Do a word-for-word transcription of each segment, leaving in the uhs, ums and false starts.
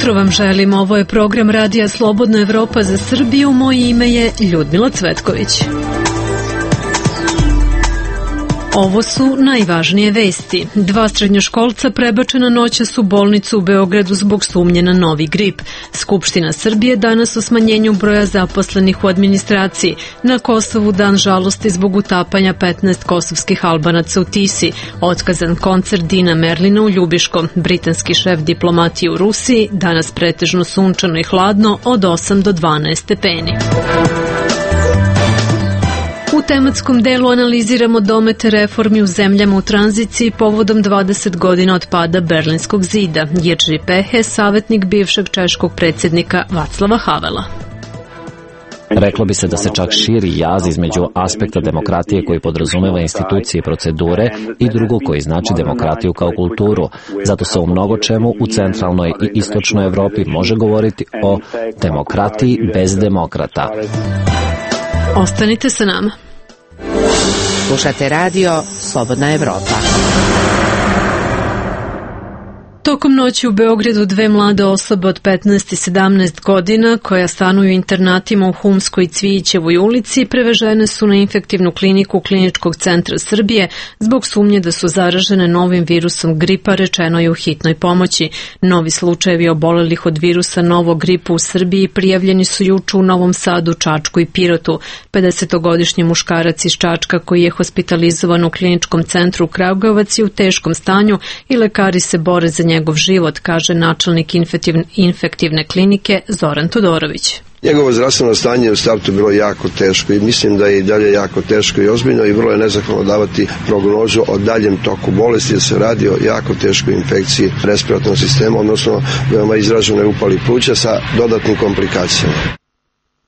jutro vam želim, ovo je program Radija Slobodna Evropa za Srbiju, moje ime je Ljudmila Cvetković. Ovo su najvažnije vesti. Dva srednjoškolca prebačena noćas u bolnicu u Beogradu zbog sumnje na novi grip. Skupština Srbije danas o smanjenju broja zaposlenih u administraciji. Na Kosovu dan žalosti zbog utapanja petnaest kosovskih Albanaca u Tisi. Otkazan koncert Dina Merlina u Ljubiškom. Britanski šef diplomatije u Rusiji. Danas pretežno sunčano i hladno od osam do dvanaest stepeni. U tematskom delu analiziramo domete reformi u zemljama u tranziciji povodom dvadeset godina od pada Berlinskog zida. Jerzy Pehe, savjetnik bivšeg češkog predsjednika Václava Havela. Reklo bi se da se čak širi jaz između aspekta demokratije koji podrazumeva institucije i procedure i drugo koji znači demokratiju kao kulturu. Zato se u mnogo čemu u centralnoj i istočnoj Evropi može govoriti o demokratiji bez demokrata. Ostanite sa nama. Slušate radio Slobodna Evropa. Tokom noći u Beogradu dve mlade osobe od petnaest i sedamnaest godina koja stanuju u internatima u Humskoj i Cvijićevoj ulici prevežene su na infektivnu kliniku Kliničkog centra Srbije zbog sumnje da su zaražene novim virusom gripa, rečeno je u hitnoj pomoći. Novi slučajevi obolelih od virusa novog gripa u Srbiji prijavljeni su juče u Novom Sadu, Čačku i Pirotu. pedesetogodišnji muškarac iz Čačka koji je hospitalizovan u Kliničkom centru Kragujevac je u teškom stanju i lekari se bore za njegov život, kaže načelnik infektivne klinike Zoran Todorović. Njegovo zdravstveno stanje je u startu bilo jako teško i mislim da je i dalje jako teško i ozbiljno i vrlo je nezahvalno davati prognozu o daljem toku bolesti, jer se radi o jako teškoj infekciji respiratornog sistema, odnosno veoma izraženoj upali pluća sa dodatnim komplikacijama.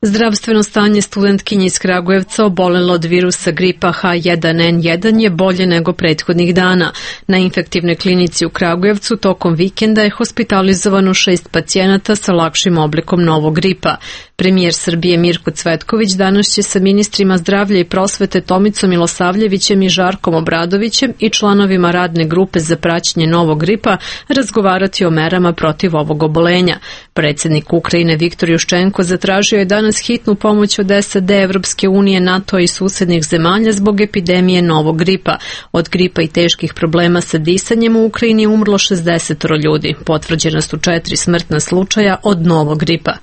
Zdravstveno stanje studentkinje iz Kragujevca obolelo od virusa gripa H jedan N jedan je bolje nego prethodnih dana. Na infektivnoj klinici u Kragujevcu tokom vikenda je hospitalizovano šest pacijenata sa lakšim oblikom novog gripa. Premijer Srbije Mirko Cvetković danas će sa ministrima zdravlja i prosvete Tomicom Milosavljevićem i Žarkom Obradovićem i članovima radne grupe za praćenje novog gripa razgovarati o merama protiv ovog obolenja. Predsjednik Ukrajine Viktor Juščenko zatražio je danas hitnu pomoć od S A D, Evropske unije, NATO i susednih zemalja zbog epidemije novog gripa. Od gripa i teških problema sa disanjem u Ukrajini umrlo šezdeset ljudi. Potvrđena su četiri smrtna slučaja od novog gripa.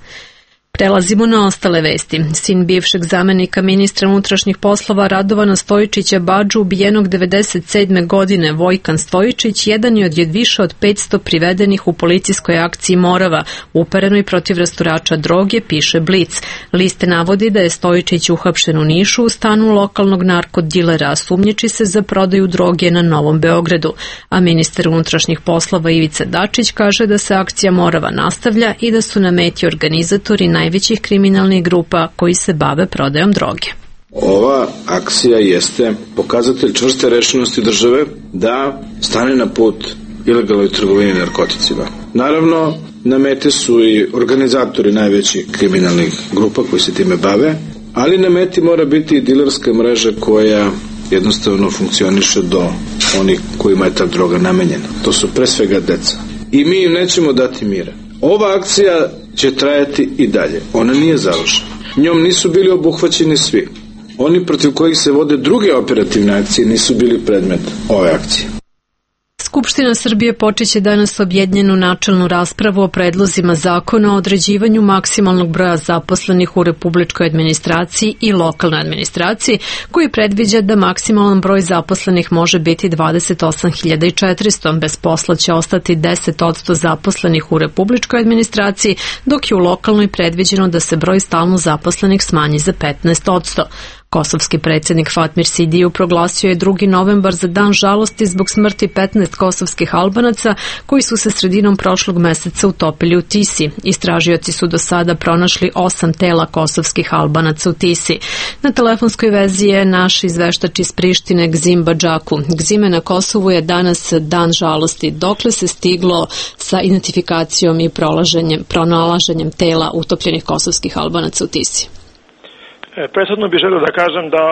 Prelazimo na ostale vesti. Sin bivšeg zamenika ministra unutrašnjih poslova Radovana Stojičića Badžu, ubijenog devedeset sedme godine, Vojkan Stojičić, jedan je od više od petsto privedenih u policijskoj akciji Morava, uperenoj protiv rasturača droge, piše Blic. Liste navodi da je Stojičić uhapšen u Nišu u stanu lokalnog narkodilera, a sumnjiči se za prodaju droge na Novom Beogradu. A ministar unutrašnjih poslova Ivica Dačić kaže da se akcija Morava nastavlja i da su na meti organizatori najvećih kriminalnih grupa koji se bave prodajom droge. Ova akcija jeste pokazatelj čvrste rešenosti države da stane na put ilegalnoj trgovini narkoticima. Naravno, na meti su i organizatori najvećih kriminalnih grupa koji se time bave, ali na meti mora biti i dilerska mreža koja jednostavno funkcioniše do onih kojima je ta droga namenjena. To su pre svega deca. I mi im nećemo dati mira. Ova akcija će trajati i dalje. Ona nije završena. Njom nisu bili obuhvaćeni svi. Oni protiv kojih se vode druge operativne akcije nisu bili predmet ove akcije. Skupština Srbije počeće danas objedinjenu načelnu raspravu o predlozima zakona o određivanju maksimalnog broja zaposlenih u republičkoj administraciji i lokalnoj administraciji, koji predviđa da maksimalan broj zaposlenih može biti dvadeset osam hiljada četiristo. Bez posla će ostati deset posto zaposlenih u republičkoj administraciji, dok je u lokalnoj predviđeno da se broj stalno zaposlenih smanji za petnaest posto. Kosovski predsjednik Fatmir Sidiju proglasio je drugi novembar za dan žalosti zbog smrti petnaest kosovskih Albanaca koji su se sredinom prošlog meseca utopili u Tisi. Istražioci su do sada pronašli osam tela kosovskih Albanaca u Tisi. Na telefonskoj vezi je naš izveštač iz Prištine Gzim Badžaku. Gzime, na Kosovu je danas dan žalosti. Dokle se stiglo sa identifikacijom i pronalaženjem tela utopljenih kosovskih Albanaca u Tisi? Prethodno bih želeo da kažem da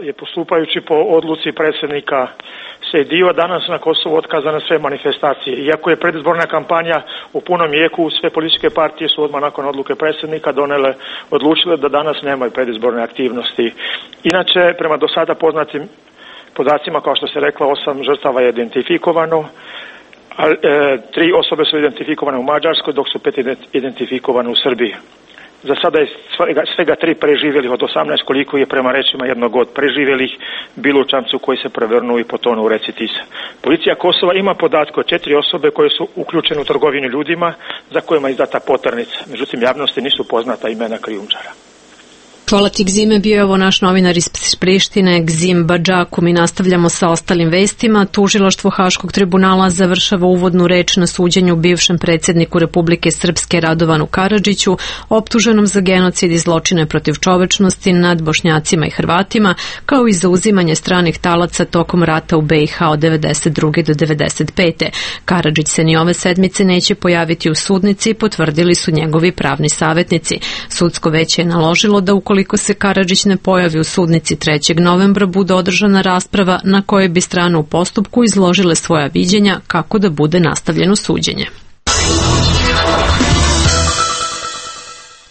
je postupajući po odluci predsjednika Sejdiva danas na Kosovu otkazane sve manifestacije. Iako je predizborna kampanja u punom jeku, sve političke partije su odmah nakon odluke predsjednika donele, odlučile da danas nemaju predizborne aktivnosti. Inače, prema do sada poznatim podacima, kao što se rekla, osam žrtava je identifikovano, a e, tri osobe su identifikovane u Mađarskoj, dok su pet identifikovane u Srbiji. Za sada je svega, svega tri preživjelih od osamnaest, koliko je prema rečima jednog od preživjelih bilo u čamcu koji se prevrnuo i potonuo u reci Tisa. Policija Kosova ima podatke o četiri osobe koje su uključene u trgovinu ljudima za kojima je izdata poternica. Međutim, javnosti nisu poznata imena krijumčara. Hvala ti, Gzime, bio je ovo naš novinar iz Prištine, Gzim Badžaku. Mi nastavljamo sa ostalim vestima. Tužilaštvo Haškog tribunala završava uvodnu reč na suđenju bivšem predsjedniku Republike Srpske Radovanu Karadžiću, optuženom za genocid i zločine protiv čovečnosti nad Bošnjacima i Hrvatima, kao i za uzimanje stranih talaca tokom rata u B i H od devedeset druge do devedeset pete. Karadžić se ni ove sedmice neće pojaviti u sudnici, potvrdili su njegovi pravni savjetnici. Sudsko veće je naložilo da ukoliko Ukoliko se Karadžić ne pojavi u sudnici trećeg novembra, bude održana rasprava na kojoj bi strane u postupku izložile svoja viđenja kako da bude nastavljeno suđenje.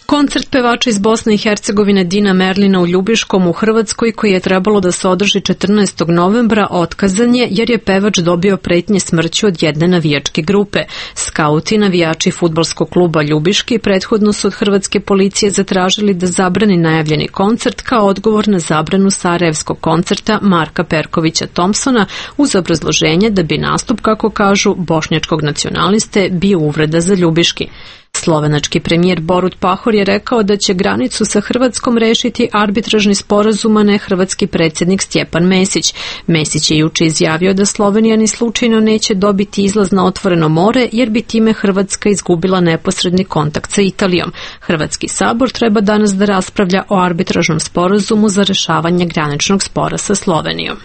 Koncert pevača iz Bosne i Hercegovine Dina Merlina u Ljubiškom u Hrvatskoj, koji je trebalo da se održi četrnaestog novembra, otkazan je jer je pevač dobio pretnje smrću od jedne navijačke grupe. Skauti, navijači fudbalskog kluba Ljubiški, prethodno su od hrvatske policije zatražili da zabrani najavljeni koncert kao odgovor na zabranu sarajevskog koncerta Marka Perkovića Thompsona, uz obrazloženje da bi nastup, kako kažu, bošnjačkog nacionaliste bio uvreda za Ljubiški. Slovenački premijer Borut Pahor je rekao da će granicu sa Hrvatskom rešiti arbitražni sporazum, a ne hrvatski predsjednik Stjepan Mesić. Mesić je juče izjavio da Slovenija ni slučajno neće dobiti izlaz na otvoreno more, jer bi time Hrvatska izgubila neposredni kontakt sa Italijom. Hrvatski sabor treba danas da raspravlja o arbitražnom sporazumu za rešavanje graničnog spora sa Slovenijom.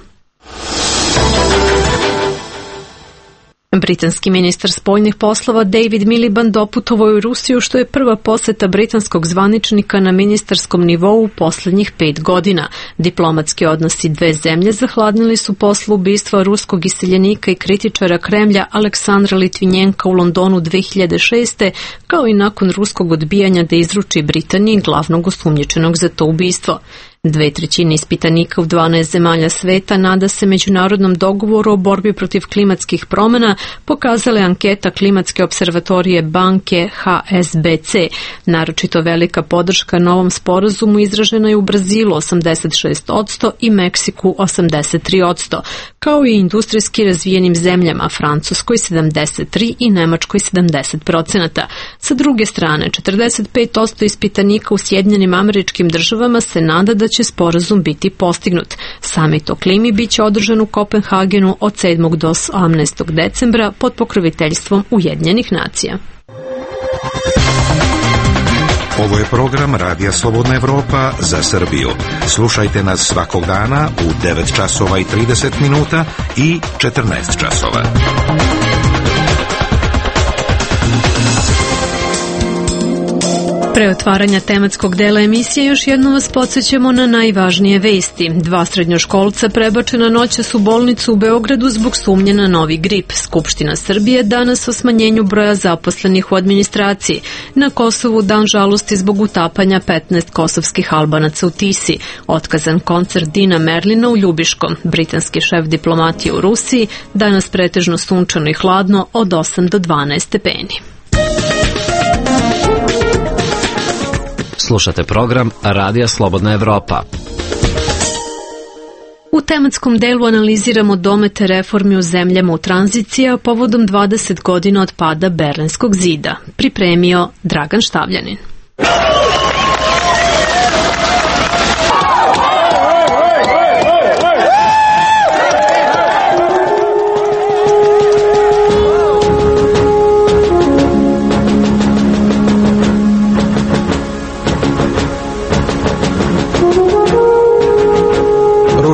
Britanski ministar spoljnih poslova David Miliband doputovao je u Rusiju, što je prva poseta britanskog zvaničnika na ministarskom nivou u posljednjih pet godina. Diplomatski odnosi dve zemlje zahladnili su posle ubistva ruskog iseljenika i kritičara Kremlja Aleksandra Litvinjenka u Londonu dve hiljade šeste. kao i nakon ruskog odbijanja da izruči Britaniji glavnog osumnjičenog za to ubistvo. Dve trećine ispitanika u dvanaest zemalja sveta nada se međunarodnom dogovoru o borbi protiv klimatskih promjena, pokazala je anketa klimatske observatorije banke H S B C. Naročito velika podrška novom sporazumu izražena je u Brazilu osamdeset šest posto i Meksiku osamdeset tri posto, kao i industrijski razvijenim zemljama Francuskoj sedamdeset tri i Nemačkoj sedamdeset procenata. Sa druge strane, četrdeset pet posto ispitanika u Sjedinjenim Američkim Državama se nada da će sporazum biti postignut. Samit o klimi biće održan u Kopenhagenu od sedmog do osamnaestog decembra pod pokroviteljstvom Ujedinjenih nacija. Ovo je program Radija Slobodna Evropa za Srbiju. Slušajte nas svakog dana u devet časova i trideset minuta i četrnaest časova. Pre otvaranja tematskog dela emisije još jednom vas podsjećamo na najvažnije vesti. Dva srednjoškolca prebačena noćas u bolnicu u Beogradu zbog sumnje na novi grip. Skupština Srbije danas o smanjenju broja zaposlenih u administraciji. Na Kosovu dan žalosti zbog utapanja petnaest kosovskih Albanaca u Tisi. Otkazan koncert Dina Merlina u Ljubiškom. Britanski šef diplomatije u Rusiji. Danas pretežno sunčano i hladno od osam do dvanaest stepeni. Slušate program Radija Slobodna Evropa. U tematskom delu analiziramo domete reformi u zemljama u tranziciji, a povodom dvadeset godina od pada Berlinskog zida. Pripremio Dragan Štavljanin.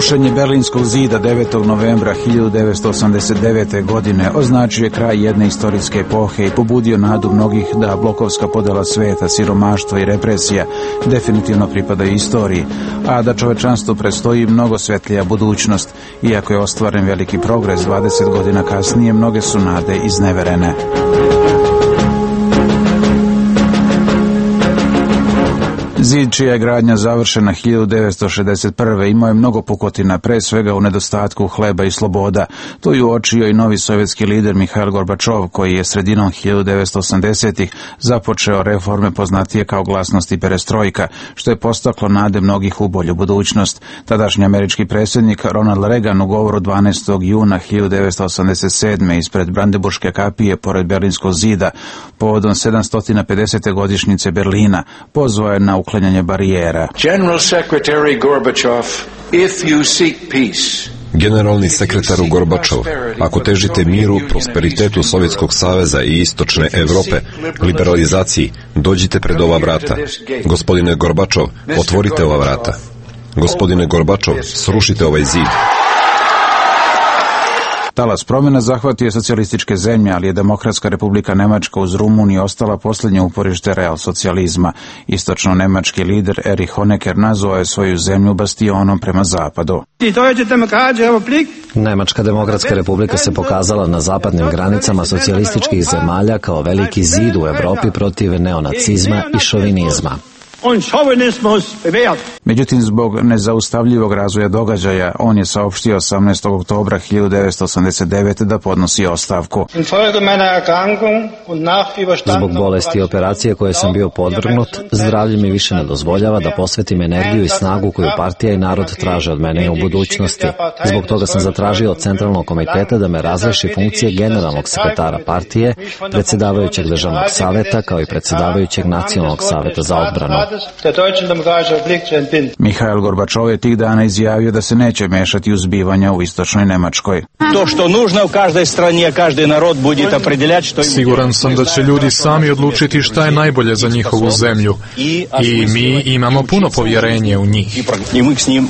Rušenje Berlinskog zida devetog novembra hiljadu devetsto osamdeset devete. godine označio je kraj jedne istorijske epohe i pobudio nadu mnogih da blokovska podela sveta, siromaštva i represija definitivno pripadaju istoriji, a da čovečanstvu predstoji mnogo svetlija budućnost. Iako je ostvaren veliki progres dvadeset godina kasnije, mnoge su nade izneverene. Zid, čija je gradnja završena hiljadu devetsto šezdeset prve. imao je mnogo pukotina, pre svega u nedostatku hleba i sloboda. To je uočio i novi sovjetski lider Mihail Gorbačov, koji je sredinom hiljadu devetsto osamdesetih. započeo reforme poznatije kao glasnost i perestrojka, što je postaklo nade mnogih u bolju budućnost. Tadašnji američki predsjednik Ronald Reagan u govoru dvanaestog juna hiljadu devetsto osamdeset sedme. ispred Brandenburške kapije pored Berlinskog zida povodom sedamsto pedesete. godišnjice Berlina pozvao je na uklanjanje barijera. General Secretary Gorbachev, if you seek peace, Generalni sekretaru Gorbačov, ako težite miru, prosperitetu Sovjetskog saveza i istočne Evrope, liberalizaciji, dođite pred ova vrata. Gospodine Gorbačov, otvorite ova vrata. Gospodine Gorbačov, srušite ovaj zid. Talas promjena zahvatio je socijalističke zemlje, ali je Demokratska republika Nemačka uz Rumuniju ostala posljednje uporište real socijalizma. Istočno-nemački lider Erich Honecker nazvao je svoju zemlju bastionom prema zapadu. Nemačka demokratska republika se pokazala na zapadnim granicama socijalističkih zemalja kao veliki zid u Evropi protiv neonacizma i šovinizma. Međutim, zbog nezaustavljivog razvoja događaja, on je saopštio osamnaestog oktobra hiljadu devetsto osamdeset devete. da podnosi ostavku. Zbog bolesti i operacije koje sam bio podvrgnut, zdravlje mi više ne dozvoljava da posvetim energiju i snagu koju partija i narod traže od mene i u budućnosti. Zbog toga sam zatražio od Centralnog komiteta da me razreši funkcije generalnog sekretara partije, predsjedavajućeg državnog saveta, kao i predsjedavajućeg nacionalnog saveta za odbranu. Mihail Gorbačov je tih dana izjavio da se neće mešati u zbivanja u istočnoj Nemačkoj. To što nužno u každoj strani, každý narod bude opredeljati što im... Siguran sam da će ljudi sami odlučiti šta je najbolje za njihovu zemlju. I mi imamo puno povjerenje u njih. I mi s njim,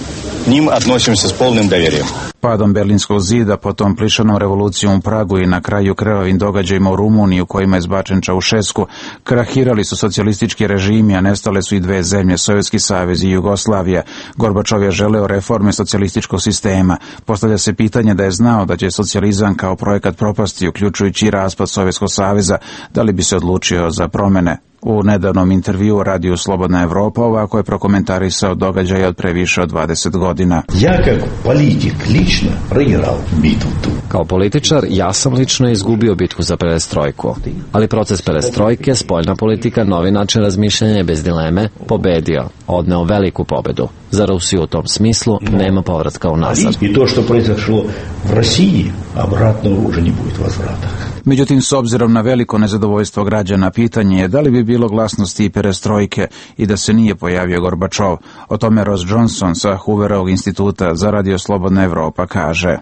njim odnosimo se s polnim doverjem. Padom Berlinskog zida, potom plišanom revolucijom u Pragu i na kraju krvavim događajima u Rumuniji u kojima je zbačen Čaušesku, krahirali su socijalistički režimi, a nestale su i dve zemlje, Sovjetski savez i Jugoslavija. Gorbačov je želeo reforme socijalističkog sistema. Postavlja se pitanje da je znao da će socijalizam kao projekat propasti, uključujući i raspad Sovjetskog saveza, da li bi se odlučio za promjene. U nedavnom intervju radiju Slobodna Evropa ovako je prokomentarisao događaje od pre više od dvadeset godina. Ja kao politik lično proigral bitvu tu. Kao političar, ja sam lično izgubio bitku za perestrojku, ali proces perestrojke, spoljna politika, novi način razmišljanja je bez dileme pobedio, odneo veliku pobedu. Za Rusiju u tom smislu nema povratka unazad. I to što произошло v Rusiji, obratno уже не будет возврата. Međutim, s obzirom na veliko nezadovoljstvo građana, pitanje je da li bi bilo glasnosti i perestrojke i da se nije pojavio Gorbačov. O tome Ross Johnson sa Hooverovog instituta za Radio Slobodna Evropa kaže: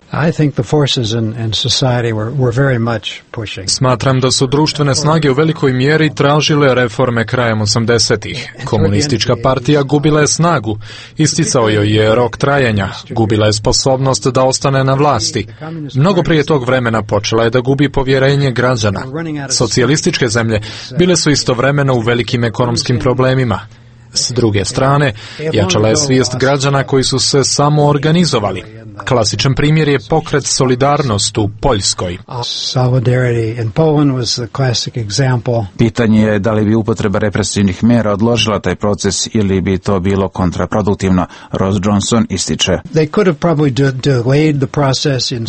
Smatram da su društvene snage u velikoj mjeri tražile reforme krajem osamdesetih. Komunistička partija gubila je snagu, isticao joj je rok trajanja, gubila je sposobnost da ostane na vlasti. Mnogo prije tog vremena počela je da gubi povjerenje građana. Socijalističke zemlje bile su istovremeno u velikim ekonomskim problemima. S druge strane, jačala je svijest građana koji su se samo organizovali. Klasičan primjer je pokret Solidarnost u Poljskoj. Pitanje je da li bi upotreba represivnih mjera odložila taj proces ili bi to bilo kontraproduktivno. Ross Johnson ističe: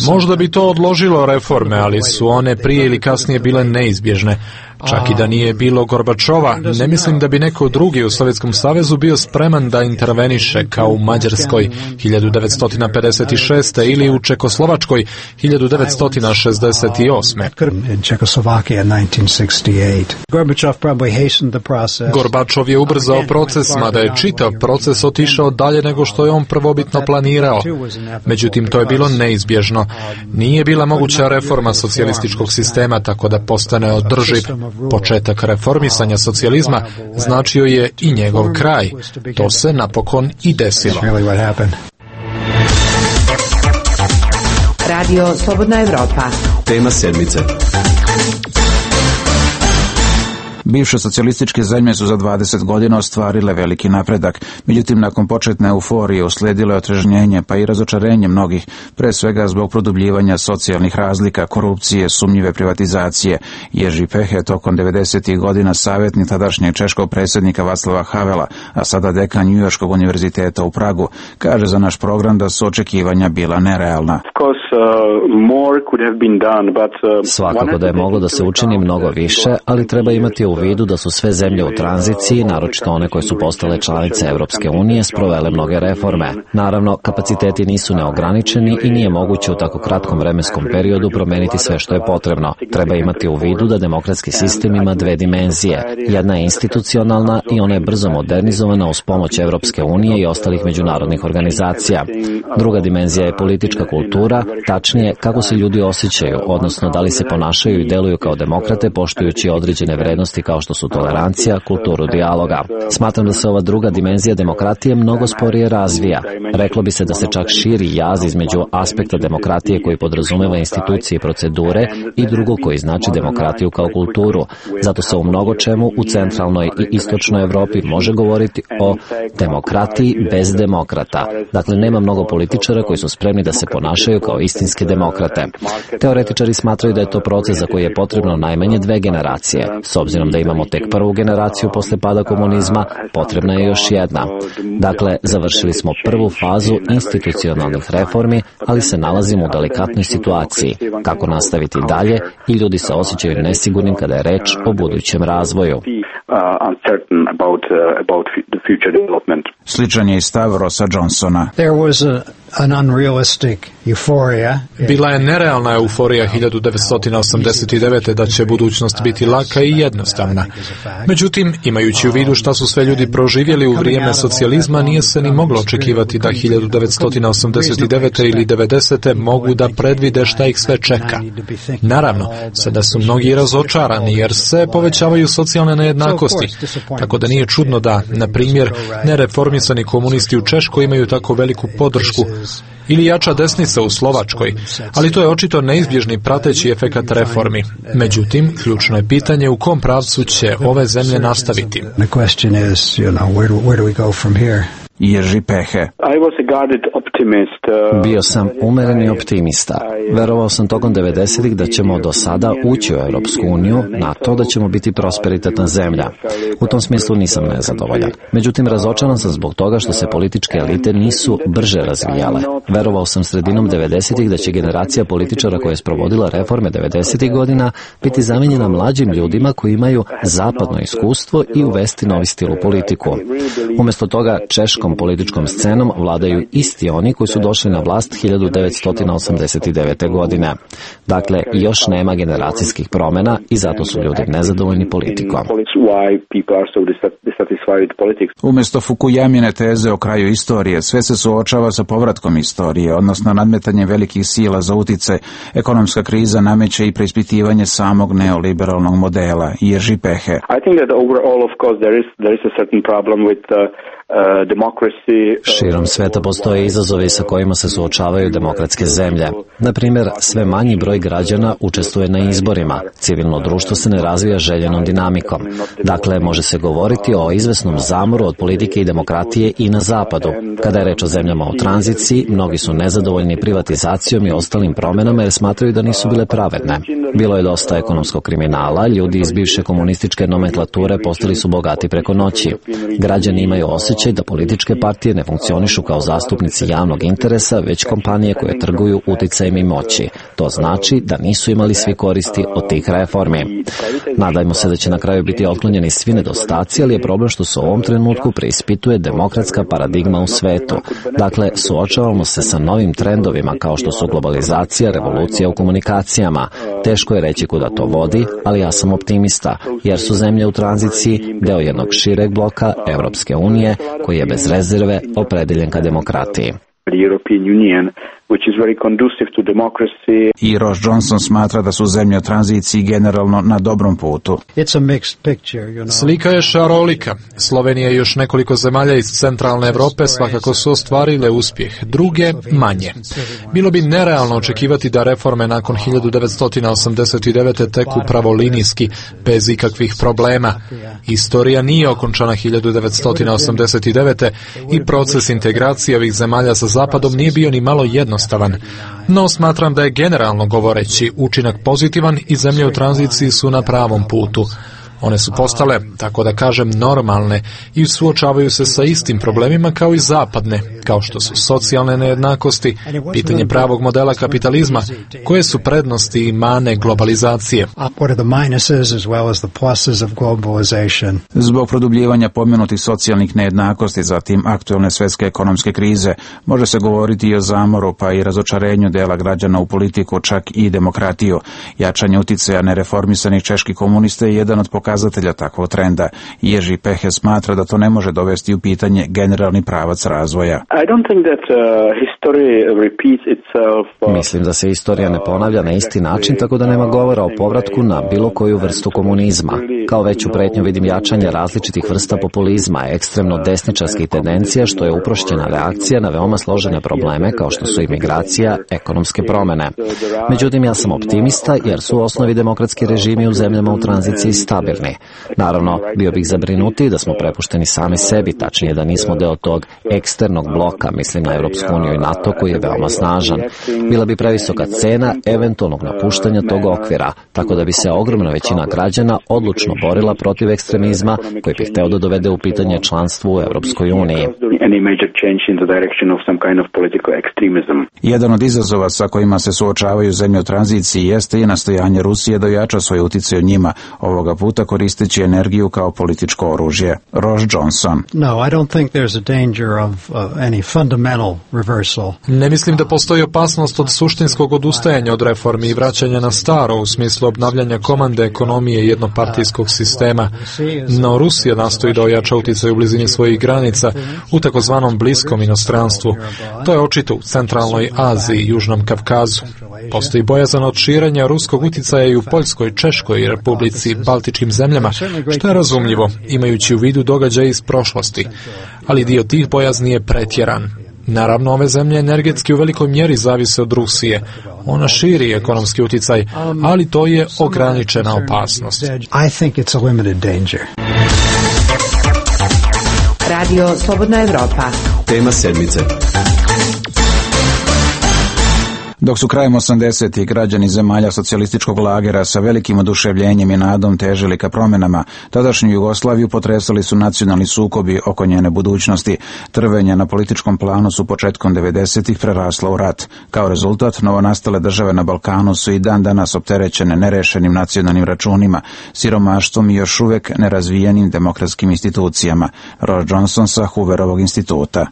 Možda bi to odložilo reforme, ali su one prije ili kasnije bile neizbježne. Čak i da nije bilo Gorbačova, ne mislim da bi neko drugi u Sovjetskom savezu bio spreman da interveniše kao u Mađarskoj hiljadu devetsto pedeset šeste. ili u Čekoslovačkoj hiljadu devetsto šezdeset osme. Gorbačov je ubrzao proces, mada je čitav proces otišao dalje nego što je on prvobitno planirao. Međutim, to je bilo neizbježno. Nije bila moguća reforma socijalističkog sistema tako da postane održiv. Početak reformisanja socijalizma značio je i njegov kraj. To se napokon i desilo. Radio Slobodna Evropa. Tema sedmice. Bivše socijalističke zemlje su za dvadeset godina ostvarile veliki napredak, međutim nakon početne euforije uslijedilo je otrežnjenje pa i razočarenje mnogih, pre svega zbog produbljivanja socijalnih razlika, korupcije, sumnjive privatizacije. Jerzy Pehe tokom devedesetih godina savjetnik tadašnjeg češkog predsjednika Václava Havela, a sada dekan Njujorškog univerziteta u Pragu, kaže za naš program da su očekivanja bila nerealna. Svakako da je moglo da se učini mnogo više, ali treba imati u vidu da su sve zemlje u tranziciji, naročito one koje su postale članice Evropske unije, sprovele mnoge reforme. Naravno, kapaciteti nisu neograničeni i nije moguće u tako kratkom vremenskom periodu promeniti sve što je potrebno. Treba imati u vidu da demokratski sistem ima dve dimenzije. Jedna je institucionalna i ona je brzo modernizovana uz pomoć Evropske unije i ostalih međunarodnih organizacija. Druga dimenzija je politička kultura, tačnije kako se ljudi osjećaju, odnosno da li se ponašaju i deluju kao demokrate poštujući određene vrednosti kao što su tolerancija, kulturu dijaloga. Smatram da se ova druga dimenzija demokratije mnogo sporije razvija. Reklo bi se da se čak širi jaz između aspekta demokratije koji podrazumeva institucije i procedure i drugo koji znači demokratiju kao kulturu. Zato se u mnogo čemu u centralnoj i istočnoj Evropi može govoriti o demokratiji bez demokrata. Dakle, nema mnogo političara koji su spremni da se ponašaju kao istinske demokrate. Teoretičari smatraju da je to proces za koji je potrebno najmanje dve generacije. S obzirom da imamo tek prvu generaciju posle pada komunizma, potrebna je još jedna. Dakle, završili smo prvu fazu institucionalnih reformi, ali se nalazimo u delikatnoj situaciji. Kako nastaviti dalje i ljudi se osjećaju nesigurnim kada je reč o budućem razvoju. Sličan je i stav Rossa Johnsona. Bila je nerealna euforija hiljadu devetsto osamdeset devete. da će budućnost biti laka i jednostavna. Međutim, imajući u vidu šta su sve ljudi proživjeli u vrijeme socijalizma, nije se ni moglo očekivati da hiljadu devetsto osamdeset devete. ili devedesete. mogu da predvide šta ih sve čeka. Naravno, sada su mnogi razočarani jer se povećavaju socijalne nejednakosti, tako da nije čudno da, na primjer, nereformisani komunisti u Češkoj imaju tako veliku podršku, ili jača desnica u Slovačkoj, ali to je očito neizbježni prateći efekat reformi. Međutim, ključno je pitanje u kom pravcu će ove zemlje nastaviti. Jerzy Pehe. Bio sam umereni optimista. Verovao sam tokom devedesetih da ćemo do sada ući u Europsku uniju, na to da ćemo biti prosperitetna zemlja. U tom smislu nisam nezadovoljan. Međutim, razočaran sam zbog toga što se političke elite nisu brže razvijale. Verovao sam sredinom devedesetih da će generacija političara koja je sprovodila reforme devedesetih godina biti zamijenjena mlađim ljudima koji imaju zapadno iskustvo i uvesti novi stil u politiku. Umjesto toga, češkom političkom scenom vladaju isti oni koji su došli na vlast hiljadu devetsto osamdeset devete. godine. Dakle, još nema generacijskih promjena i zato su ljudi nezadovoljni politikom. Umjesto Fukuyamine teze o kraju istorije, sve se suočava sa povratkom istorije, odnosno nadmetanje velikih sila za utjecaj. Ekonomska kriza nameće i preispitivanje samog neoliberalnog modela. Jerzy Pehe. I think that overall, of course, there is there is a certain problem with uh, Širom sveta postoje izazovi sa kojima se suočavaju demokratske zemlje. Na primjer, sve manji broj građana učestvuje na izborima. Civilno društvo se ne razvija željenom dinamikom. Dakle, može se govoriti o izvesnom zamoru od politike i demokratije i na zapadu. Kada je reč o zemljama u tranziciji, mnogi su nezadovoljni privatizacijom i ostalim promjenama jer smatraju da nisu bile pravedne. Bilo je dosta ekonomskog kriminala, ljudi iz bivše komunističke nomenklature postali su bogati preko noći. Građani imaju osjećaj da političke partije ne funkcionišu kao zastupnici javnog interesa, već kompanije koje trguju uticajem i moći. To znači da nisu imali svi koristi od tih reformi. Nadajmo se da će na kraju biti otklonjeni svi nedostaci, ali je problem što se u ovom trenutku preispituje demokratska paradigma u svetu. Dakle, suočavamo se sa novim trendovima kao što su globalizacija, revolucija u komunikacijama. Teško je reći kuda to vodi, ali ja sam optimista, jer su zemlje u tranziciji deo jednog šireg bloka Evropske unije koji je bez rezerve opredeljen ka demokratiji. The European Union which is very conducive to democracy. I Ross Johnson smatra da su zemlje u tranziciji generalno na dobrom putu. It's a mixed picture, you know. Slika je šarolika. Slovenija i još nekoliko zemalja iz centralne Evrope svakako su ostvarile uspjeh, druge manje. Bilo bi nerealno očekivati da reforme nakon hiljadu devetsto osamdeset devete teku pravolinijski, bez ikakvih problema. Istorija nije okončana hiljadu devetsto osamdeset devete i proces integracije ovih zemalja sa Zapadom nije bio ni malo jednostavan. No smatram da je generalno govoreći učinak pozitivan i zemlje u tranziciji su na pravom putu. One su postale, tako da kažem, normalne i suočavaju se sa istim problemima kao i zapadne, kao što su socijalne nejednakosti, pitanje pravog modela kapitalizma, koje su prednosti i mane globalizacije. Zbog produbljivanja pomenutih socijalnih nejednakosti, zatim aktualne svjetske ekonomske krize, može se govoriti i o zamoru pa i razočarenju dela građana u politiku, čak i demokratiju. Jačanje uticaja nereformisanih čeških komunista je jedan od pokazatelja takvog trenda. Jerzy Peche smatra da to ne može dovesti u pitanje generalni pravac razvoja. I don't think that uh, history repeats itself. Uh, Mislim da se istorija ne ponavlja na isti način, tako da nema govora o povratku na bilo koju vrstu komunizma. Kao veću pretnju vidim jačanje različitih vrsta populizma, ekstremno desničarskih tendencija, što je uprošćena reakcija na veoma složene probleme kao što su imigracija, ekonomske promene. Međutim, ja sam optimista jer su u osnovi demokratski režimi u zemljama u tranziciji stabilni. Naravno, bio bih zabrinutiji da smo prepušteni sami sebi, tačnije da nismo deo tog eksternog bloka, mislim na Europsku uniju i NATO koji je veoma snažan. Bila bi previsoka cena eventualnog napuštanja tog okvira, tako da bi se ogromna većina građana odlučno borila protiv ekstremizma koji bi hteo da dovede u pitanje članstvo u Europskoj uniji. Jedan od izazova sa kojima se suočavaju zemlje u tranziciji jeste i nastojanje Rusije da ojača svoj uticaj u njima, ovoga puta koristeći energiju kao političko oružje. Ross Johnson. No, I don't think there's a danger of uh, any fundamental reversal. Ne mislim da postoji opasnost od suštinskog odustajanja od reformi i vraćanja na staro u smislu obnavljanja komande ekonomije jednopartijskog sistema. No Rusija nastoji da ojača uticaj u blizini svojih granica u takozvanom bliskom inostranstvu. To je očito u centralnoj Aziji i Južnom Kavkazu. Postoji bojazan od širenja ruskog uticaja i u Poljskoj, Češkoj, Republici, Baltičkim zemljama, što je razumljivo, imajući u vidu događaje iz prošlosti. Ali dio tih bojazni je pretjeran. Naravno, ove zemlje energetski u velikoj mjeri zavise od Rusije. Ona širi ekonomski uticaj, ali to je ograničena opasnost. I think it's a limited danger. Radio Slobodna Evropa. Tema sedmice. Dok su krajem osamdesetih građani zemalja socijalističkog lagera sa velikim oduševljenjem i nadom težili ka promjenama, tadašnju Jugoslaviju potresali su nacionalni sukobi oko njene budućnosti. Trvenja na političkom planu su početkom devedesetih prerasla u rat. Kao rezultat, novonastale države na Balkanu su i dan danas opterećene nerešenim nacionalnim računima, siromaštvom i još uvek nerazvijenim demokratskim institucijama. Ross Johnson sa Hooverovog instituta.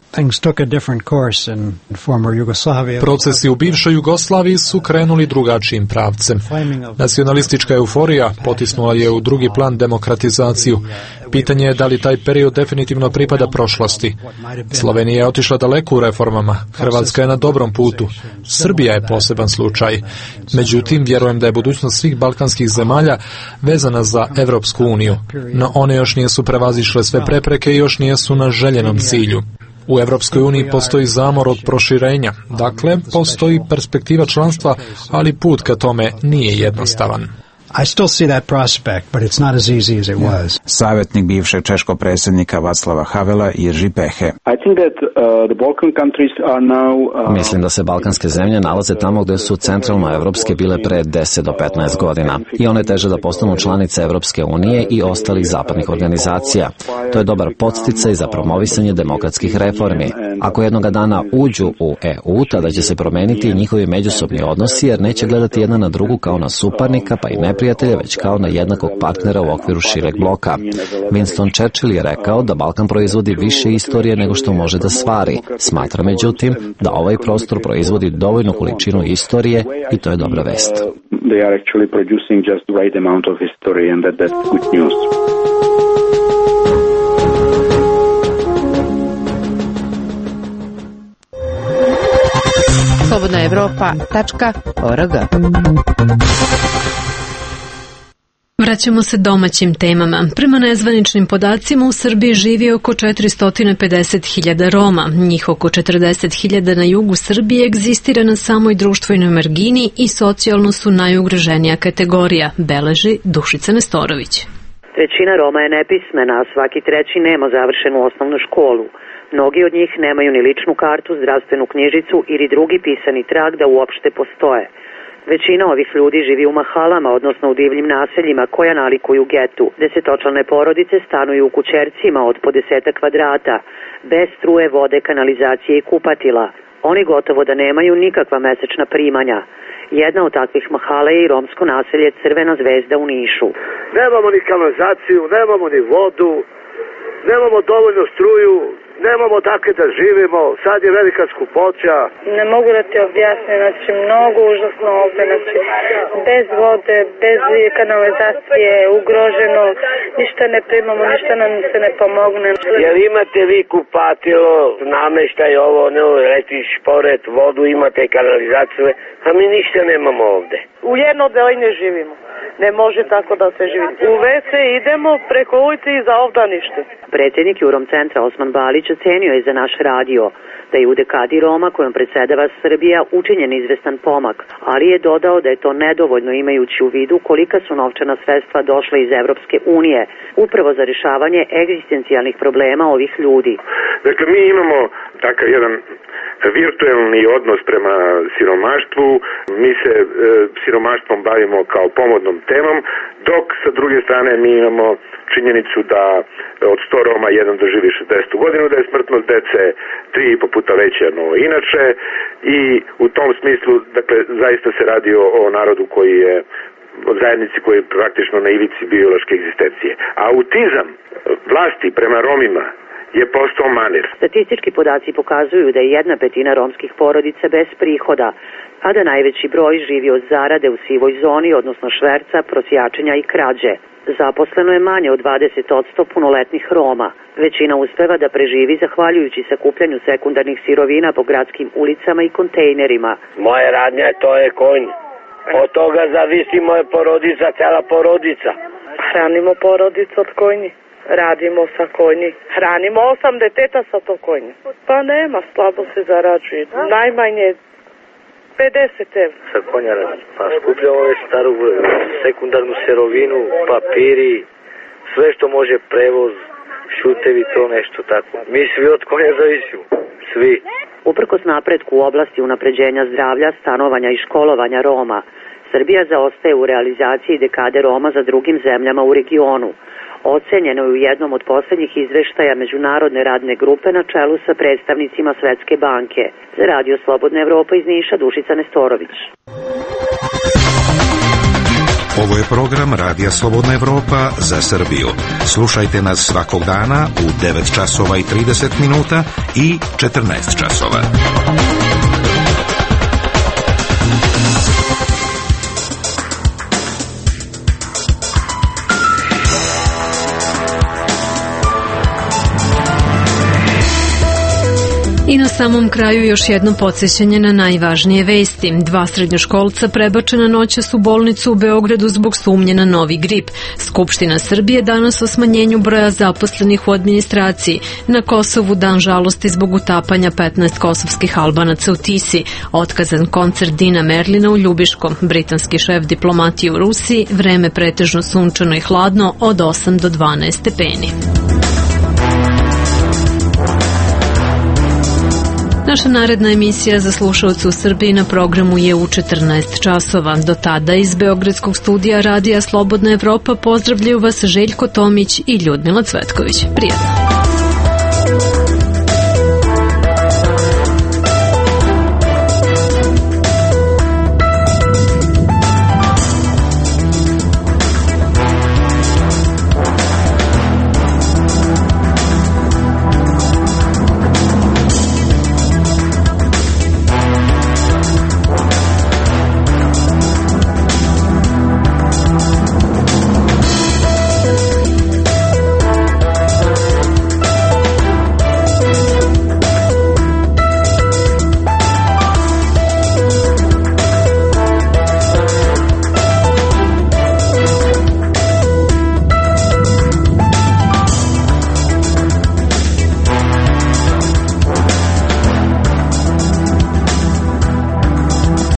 Procesi u bivšoj Jugoslaviji su krenuli drugačijim pravcem. Nacionalistička euforija potisnula je u drugi plan demokratizaciju. Pitanje je da li taj period definitivno pripada prošlosti. Slovenija je otišla daleko u reformama. Hrvatska je na dobrom putu. Srbija je poseban slučaj. Međutim, vjerujem da je budućnost svih balkanskih zemalja vezana za Evropsku uniju. No one još nisu prevazišle sve prepreke i još nisu na željenom cilju. U Evropskoj uniji postoji zamor od proširenja, dakle postoji perspektiva članstva, ali put ka tome nije jednostavan. I still see that prospect, but it's not as easy as it was. Savjetnik bivšeg češkog predsjednika Václava Havela, Jerzy Peche. I think that uh, the Balkan countries are now uh, Mislim da se balkanske zemlje nalaze tamo gdje su centralnoevropske bile pre deset do petnaest godina i one teže da postanu članice Evropske unije i ostalih zapadnih organizacija. To je dobar podsticaj za promovisanje demokratskih reformi. Ako jednoga dana uđu u E U, tada će se promeniti i njihovi međusobni odnosi, jer neće gledati jedna na drugu kao na suparnika pa i neprijatelja, već kao na jednakog partnera u okviru šireg bloka. Winston Churchill je rekao da Balkan proizvodi više istorije nego što može da stvari. Smatra međutim da ovaj prostor proizvodi dovoljnu količinu istorije i to je dobra vest. They are actually producing just the right amount of history and that that's good news. slobodna evropa tačka org. Vraćamo se domaćim temama. Prema nezvaničnim podacima u Srbiji živi oko četiristo pedeset hiljada Roma. Njih oko četrdeset hiljada na jugu Srbije egzistira na samoj društvenoj margini i socijalno su najugroženija kategorija, beleži Dušica Nestorović. Trećina Roma je nepismena, a svaki treći nema završenu osnovnu školu. Mnogi od njih nemaju ni ličnu kartu, zdravstvenu knjižicu ili drugi pisani trag da uopšte postoje. Većina ovih ljudi živi u mahalama, odnosno u divljim naseljima koja nalikuju getu. Desetočlane porodice stanuju u kućercima od po deseta kvadrata, bez struje, vode, kanalizacije i kupatila. Oni gotovo da nemaju nikakva mesečna primanja. Jedna od takvih mahala je i romsko naselje Crvena zvezda u Nišu. Nemamo ni kanalizaciju, nemamo ni vodu, nemamo dovoljno struju, nemamo dakle da živimo, sad je velika skupoća. Ne mogu da ti objasnim, znači mnogo užasno ovde, znači bez vode, bez kanalizacije, ugroženo, ništa ne primamo, ništa nam se ne pomogne. Jel imate vi kupatilo, nameštaj ovo, ne letiš pored, vodu imate, kanalizaciju, a mi ništa nemamo ovde. U jedno odelenje živimo. Ne može tako da se živi. U ve ce idemo preko ulice i za ovda ništa. Predsjednik Jurom centra Osman Balić ocenio je za naš radio da je u dekadi Roma kojom predsedava Srbija učinjen izvestan pomak, ali je dodao da je to nedovoljno imajući u vidu kolika su novčana sredstva došla iz Evropske unije, upravo za rješavanje egzistencijalnih problema ovih ljudi. Dakle, mi imamo takav jedan virtuelni odnos prema siromaštvu, mi se e, siromaštvom bavimo kao pomodnom temom, dok sa druge strane mi imamo činjenicu da od sto Roma jedan doživi šezdesetu godinu, da je smrtnost dece tri i po puta veća no inače i u tom smislu, dakle, zaista se radi o, o narodu koji je od zajednici koji je praktično na ivici biološke egzistencije. A autizam vlasti prema Romima je postao manir. Statistički podaci pokazuju da je jedna petina romskih porodica bez prihoda, a da najveći broj živi od zarade u sivoj zoni, odnosno šverca, prosjačenja i krađe. Zaposleno je manje od dvadeset posto punoletnih Roma. Većina uspeva da preživi zahvaljujući sakupljanju sekundarnih sirovina po gradskim ulicama i kontejnerima. Moja radnja to je konj. Od toga zavisi moja porodica, cela porodica. Hranimo porodicu od konji. Radimo sa konji. Hranimo osam deteta sa to konje. Pa nema, slabo se zarađuje. Najmanje pedeset evra. Sa konja radim. Pa skupljamo već staru sekundarnu sirovinu, papiri, sve što može prevoz, šutevi, to nešto tako. Mi svi od konja zavisimo. Svi. Uprkos napretku u oblasti unapređenja zdravlja, stanovanja i školovanja Roma, Srbija zaostaje u realizaciji dekade Roma za drugim zemljama u regionu. Ocenjeno je u jednom od posljednjih izveštaja Međunarodne radne grupe na čelu sa predstavnicima Svetske banke. Za Radio Slobodna Evropa iz Niša, Dušica Nestorović. Ovo je program Radija Slobodna Evropa za Srbiju. Slušajte nas svakog dana u devet časova i trideset minuta i četrnaest časova. I na samom kraju još jedno podsjećanje na najvažnije vesti. Dva srednjoškolca prebačena noćas u bolnicu u Beogradu zbog sumnje na novi grip. Skupština Srbije danas o smanjenju broja zaposlenih u administraciji. Na Kosovu dan žalosti zbog utapanja petnaest kosovskih Albanaca u Tisi. Otkazan koncert Dina Merlina u Ljubiškom. Britanski šef diplomatije u Rusiji. Vreme pretežno sunčano i hladno od osam do dvanaest stepeni. Naša naredna emisija za slušalce u Srbiji na programu je u četrnaest časova. Do tada iz Beogradskog studija Radija Slobodna Evropa pozdravljaju vas Željko Tomić i Ljudmila Cvetković. Prijatno!